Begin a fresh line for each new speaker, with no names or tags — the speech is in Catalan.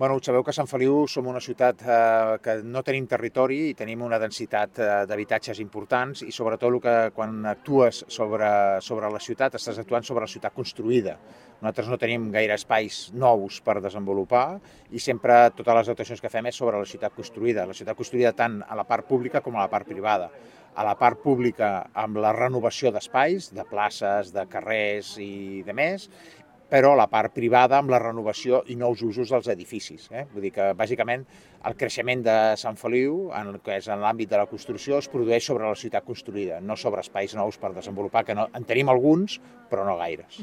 Bueno, sabeu que a Sant Feliu som una ciutat que no tenim territori i tenim una densitat d'habitatges importants i sobretot quan actues sobre la ciutat estàs actuant sobre la ciutat construïda. Nosaltres no tenim gaire espais nous per desenvolupar i sempre totes les actuacions que fem és sobre la ciutat construïda tant a la part pública com a la part privada. A la part pública amb la renovació d'espais, de places, de carrers i de més, però la part privada amb la renovació i nous usos dels edificis. Vull dir que, bàsicament, el creixement de Sant Feliu, que és en l'àmbit de la construcció, es produeix sobre la ciutat construïda, no sobre espais nous per desenvolupar, que en tenim alguns, però no gaires.